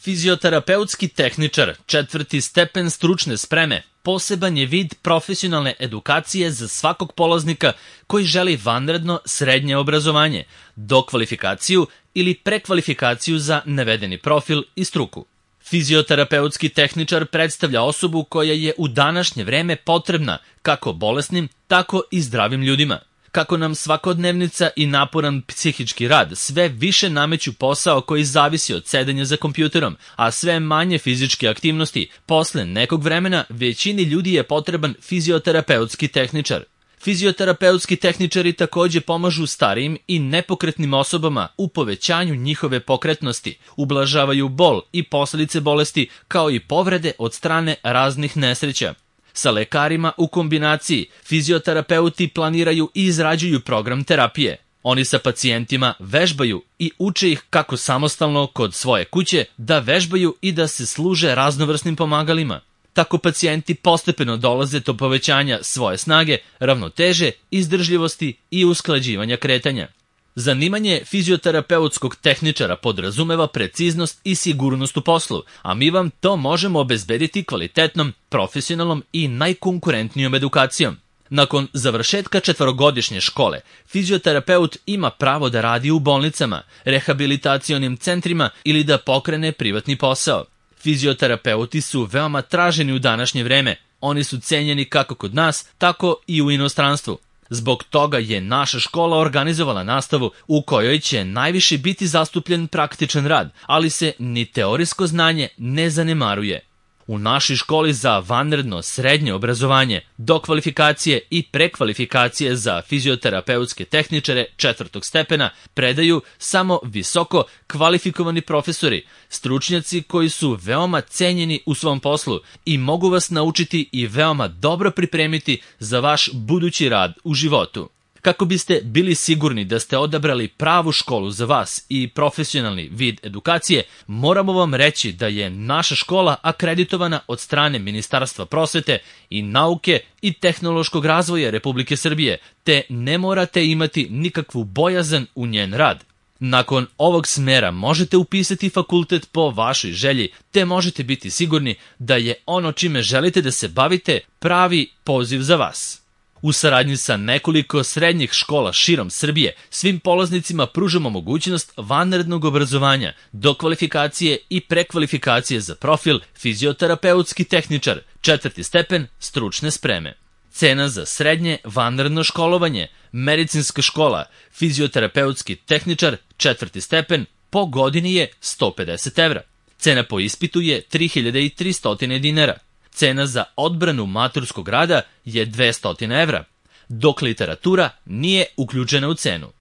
Fizioterapeutski tehničar, 4. stepen stručne spreme, poseban je vid profesionalne edukacije za svakog polaznika koji želi vanredno srednje obrazovanje, dokvalifikaciju ili prekvalifikaciju za navedeni profil i struku. Fizioterapeutski tehničar predstavlja osobu koja je u današnje vreme potrebna kako bolesnim, tako i zdravim ljudima. Kako nam svakodnevnica i naporan psihički rad sve više nameću posao koji zavisi od sedenja za kompjuterom, a sve manje fizičke aktivnosti, posle nekog vremena većini ljudi je potreban fizioterapeutski tehničar. Fizioterapeutski tehničari takođe pomažu starijim i nepokretnim osobama u povećanju njihove pokretnosti, ublažavaju bol i posledice bolesti kao i povrede od strane raznih nesreća. Sa lekarima u kombinaciji fizioterapeuti planiraju i izrađuju program terapije. Oni sa pacijentima vežbaju i uče ih kako samostalno kod svoje kuće da vežbaju i da se služe raznovrsnim pomagalima. Tako pacijenti postepeno dolaze do povećanja svoje snage, ravnoteže, izdržljivosti i usklađivanja kretanja. Zanimanje fizioterapeutskog tehničara podrazumeva preciznost i sigurnost u poslu, a mi vam to možemo obezbediti kvalitetnom, profesionalnom i najkonkurentnijom edukacijom. Nakon završetka 4-godišnje škole, fizioterapeut ima pravo da radi u bolnicama, rehabilitacionim centrima ili da pokrene privatni posao. Fizioterapeuti su veoma traženi u današnje vreme. Oni su cenjeni kako kod nas, tako i u inostranstvu. Zbog toga je naša škola organizovala nastavu u kojoj će najviše biti zastupljen praktičan rad, ali se ni teorijsko znanje ne zanemaruje. U našoj školi za vanredno srednje obrazovanje, dokvalifikacije i prekvalifikacije za fizioterapeutske tehničare 4. stepena predaju samo visoko kvalifikovani profesori, stručnjaci koji su veoma cenjeni u svom poslu i mogu vas naučiti i veoma dobro pripremiti za vaš budući rad u životu. Kako biste bili sigurni da ste odabrali pravu školu za vas i profesionalni vid edukacije, moramo vam reći da je naša škola akreditovana od strane Ministarstva prosvete i nauke i tehnološkog razvoja Republike Srbije, te ne morate imati nikakvu bojazan u njen rad. Nakon ovog smera možete upisati fakultet po vašoj želji, te možete biti sigurni da je ono čime želite da se bavite pravi poziv za vas. U saradnji sa nekoliko srednjih škola širom Srbije, svim polaznicima pružamo mogućnost vanrednog obrazovanja, dokvalifikacije i prekvalifikacije za profil fizioterapeutski tehničar, 4. stepen stručne spreme. Cena za srednje vanredno školovanje, medicinska škola, fizioterapeutski tehničar, 4. stepen, po godini je 150 evra. Cena po ispitu je 3300 dinara. Cena za odbranu maturskog rada je 200 evra, dok literatura nije uključena u cenu.